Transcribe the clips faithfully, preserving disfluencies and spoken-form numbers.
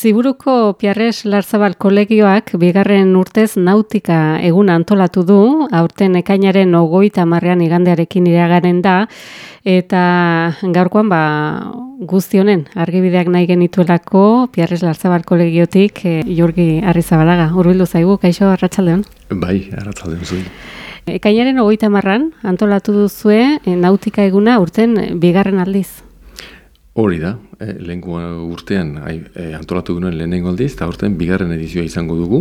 Ziburuko Piarres Larzabal kolegioak bigarren urtez nautika eguna antolatu du, aurten ekainaren hogeita hamarrean igandearekin iragaren da, eta gaurkoan ba, guzti honen argibideak nahi genituelako Piarres Larzabal kolegiotik e, Jurgi Arrizabalaga. Hurbildu zaigu, kaixo, arratsaldeon? Bai, arratsaldeon zuen. Ekainaren hogeita hamarran antolatu duzue e, nautika eguna aurten bigarren aldiz. Hori da, eh, lehenko urtean eh, antolatu genuen lehenengo aldiz, eta urtean bigarren edizioa izango dugu.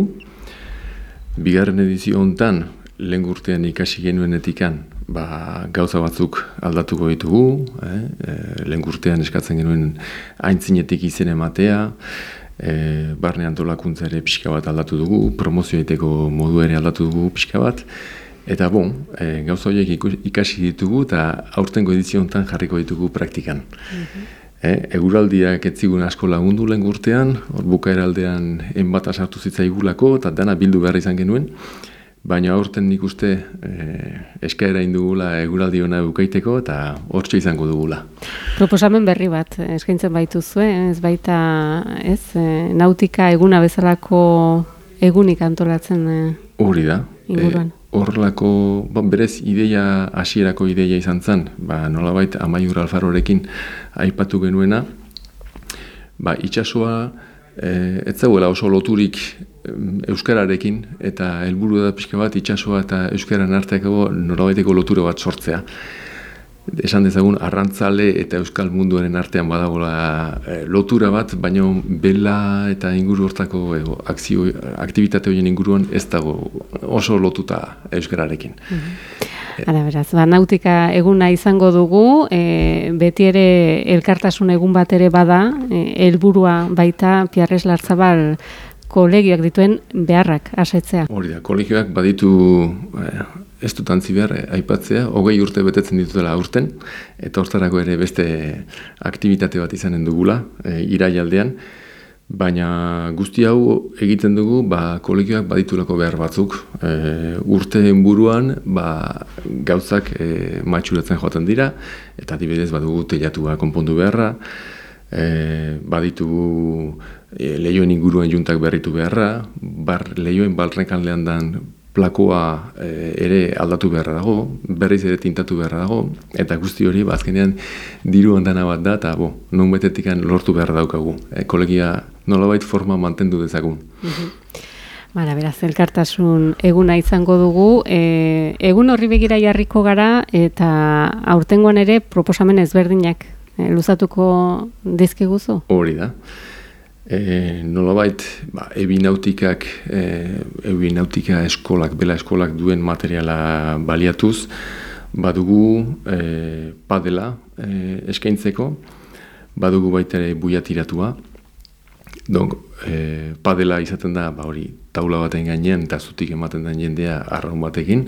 Bigarren edizio hontan, lehenko urtean ikasi genuenetikan, ba, gauza batzuk aldatuko ditugu, eh, eh, lehenko urtean eskatzen genuen aintzinetik izen ematea, eh, barne antolakuntza ere pixka bat aldatu dugu, promozio egiteko modu ere aldatu dugu pixka bat, eta bon, e, gauza horiek ikasi ditugu eta aurtengo edizio hontan jarriko ditugu praktikan. Mm-hmm. E, eguraldiak ez zigun asko lagundu lehen urtean, hor bukaera aldean enbata sartu zitzaigulako eta dana bildu behar izan genuen, baina aurten nik uste e, eskaera indugula eguraldi hona bukaiteko eta hortxe izango dugula. Proposamen berri bat eskaintzen baituzue, ez baita ez, e, nautika eguna bezalako egunik antolatzen e, hori da. Inguruan. Horrelako, ba, berez ideia, hasierako ideia izan zen, ba, nolabait Amaiur Alfarorekin aipatu genuena, ba, itsasoa e, ez zegoela oso loturik euskararekin, eta helburu da pixka bat itsasoa eta euskaran arteako nolabaiteko lotura bat sortzea. Esan dezagun, arrantzale eta euskal munduaren artean badagoela e, lotura bat, baina bela eta inguru hortako e, akzio, aktibitate horien inguruan ez dago oso lotuta euskararekin. Mm-hmm. Hala beraz, ba, nautika eguna izango dugu, e, beti ere elkartasun egun bat ere bada, e, helburua baita Piarres Larzabal kolegioak dituen beharrak asetzea. Hori da, kolegioak baditu eh, ez dut antzi behar eh, aipatzea, hogei urte betetzen ditutela aurten, eta hortarako ere beste aktibitate bat izanen dugula, eh, iraialdean, baina guzti hau egiten dugu ba, kolegioak baditulako behar batzuk. E, urteen buruan ba, gauzak e, matxuratzen joaten dira, eta adibidez badugu teilatua konpondu beharra, e, baditugu e, lehioen inguruan juntak berritu beharra, bar, lehioen balrekaldean dan plakoa e, ere aldatu beharra dago, berriz ere tintatu beharra dago, eta guzti hori ba, azkenean diru handana bat da, eta bo, non betetikan lortu beharra daukagu. E, kolegia nolabait forma mantendu dezagun. Mm-hmm. Bara, beraz, elkartasun eguna izango dugu. E, egun horri begira jarriko gara, eta aurtengoan ere proposamen ezberdinak e, luzatuko dizkiguzu? Hori da. E, nolabait, ba, ebi nautikak, e, ebi nautika eskolak, bela eskolak duen materiala baliatuz, badugu e, padela e, eskaintzeko, badugu baita ere buia tiratua. Donc, e, padela izaten da, ba, hori, taula baten gainean eta zutik ematen den jendea arraun batekin.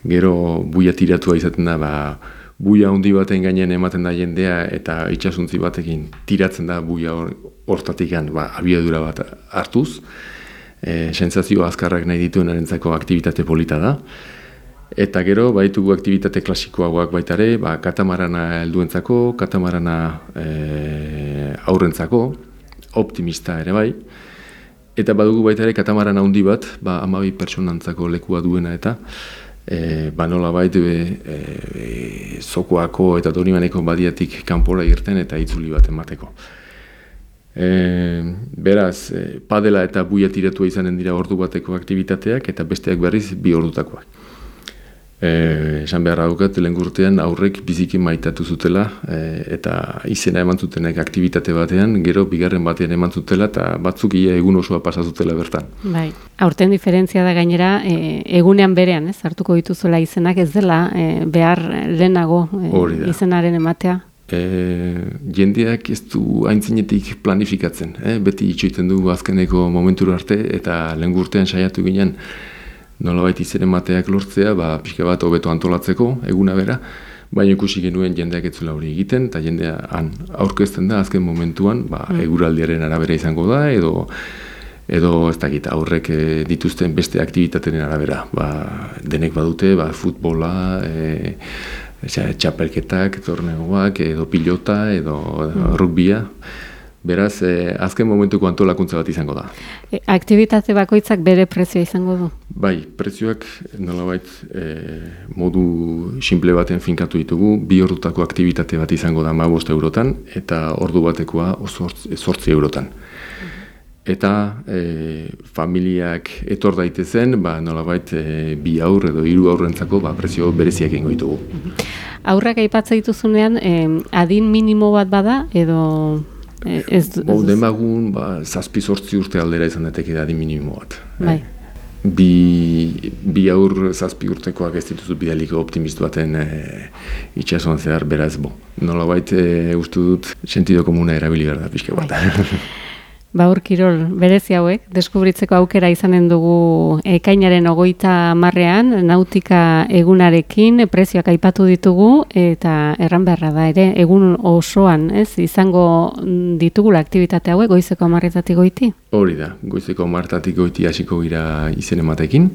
Gero buia tiratua izaten da, ba, buia handi baten gainean ematen da jendea eta itsasuntzi batekin tiratzen da buia hortatik ba, abiadura bat hartuz. E, sensazio azkarrak nahi dituenarentzako aktibitate polita da. Eta gero, baitugu aktibitate klasikoagoak baitare, ba, katamarana helduentzako, katamarana e, aurrentzako, optimista ere bai. Eta badugu baitare katamarana handi bat, ba, hamabi pertsonantzako lekua duena eta E, ba nola bait e, e, zokoako eta Donibaneko badiatik kanpora irten eta itzuli bat emateko. E, beraz, e, padela eta buia tiratua izanen dira ordu bateko aktivitateak eta besteak berriz bi ordutakoak. E, esan beharra daukat, lehen urtean aurrek biziki maitatu zutela e, eta izena eman zutenek aktibitate batean, gero bigarren batean eman zutela eta batzuk ia egun osoa pasa zutela bertan. Bai, aurten diferentzia da gainera, e, egunean berean, ez, hartuko dituzuela izenak ez dela e, behar lehenago e, izenaren ematea. E, jendeak ez du aintzinetik planifikatzen, eh? Beti itxoiten dugu azkeneko momentura arte eta lehen urtean saiatu ginen nolabait izen emateak lortzea, ba, pixka bat hobeto antolatzeko, eguna bera, baina ikusi genuen jendeak ez zuela hori egiten, eta jendea han aurkezten da azken momentuan, ba, mm. eguraldiaren arabera izango da, edo edo ez dakit aurrek e, dituzten beste aktibitateren arabera. Ba, denek badute, ba, futbola, e, txapelketak, torneoak, edo pilota, edo mm. rugbia. Beraz, eh, azken momentuko antolakuntza bat izango da. E, aktibitate bakoitzak bere prezioa izango du? Bai, prezioak nolabait eh, modu simple baten finkatu ditugu, bi ordutako aktibitate bat izango da hamabost eurotan, eta ordu batekoa zortzi eurotan. Eta e, familiak etor daitezen, ba, nolabait e, bi aur edo hiru aurrentzako ba, prezio bereziak egingo ditugu. Aurrak aipatzen dituzunean, eh, adin minimo bat bada, edo... Eh, ez, Bo, demagun, ba, zazpi zortzi urte aldera izan dateke da adin minimo bat. Bai. Bi, bi aur zazpi urtekoak ez dituzu bidaliko optimistu baten e, itxasuan zehar, beraz, bo. Nolabait e, uste dut sentido komuna erabili behar da pixka bat. Baur kirol berezi hauek, deskubritzeko aukera izanen dugu ekainaren hogeita hamarrean, nautika egunarekin, prezioak aipatu ditugu, eta erran beharra da ere, egun osoan, ez, izango ditugula aktibitate hauek, goizeko hamarretatik goiti? Hori da, goizeko hamarretatik goiti hasiko gira izen ematekin,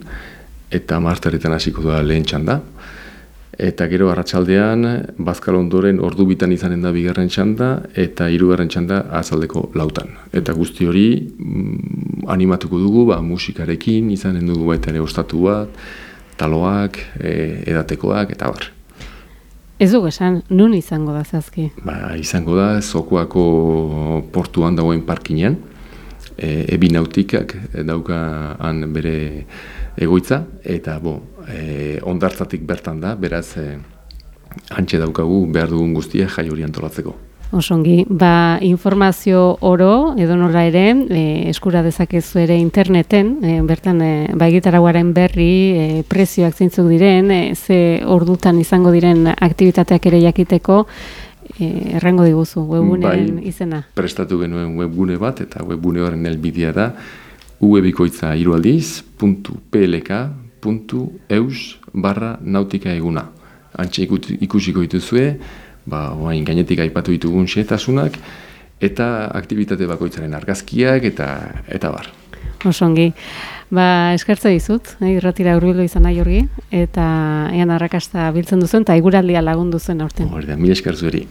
eta hamarterretan hasiko da lehen txanda. Eta gero arratsaldean bazkal ondoren ordu bitan izanen da bigarren txanda eta hirugarren txanda azaldeko lautan. Eta guzti hori mm, animatuko dugu, ba, musikarekin izanen dugu baita ere ostatu bat, taloak, e, edatekoak eta bar. Ez dugu esan, nun izango da zazki? Ba, izango da Zokoako portuan dagoen parkinean, e, Ebi Nautikak dauka han bere egoitza, eta bo, e, ondartzatik bertan da, beraz, e, hantxe daukagu behar dugun guztia jai hori antolatzeko. Osongi, ba, informazio oro, edo nola ere, e, eskura dezakezu ere interneten, e, bertan, e, ba, egitarauaren berri, e, prezioak zeintzuk diren, e, ze ordutan izango diren aktibitateak ere jakiteko, e, errango diguzu, webguneen bai, izena. Prestatu genuen webgune bat, eta webgune horren helbidea da, ubebikoitza hirualdiz puntu plk puntu eus barra nautika eguna. Antxe ikusiko dituzue, ba, oain gainetik aipatu ditugun xehetasunak, eta aktibitate bakoitzaren argazkiak, eta eta bar. Osongi. Ba, eskertze dizut, eh, irratira hurbildu izan nahi Jorgi, eta ean arrakasta biltzen duzuen, eta iguraldia lagundu zuen aurten. Hori da, mila esker zueri.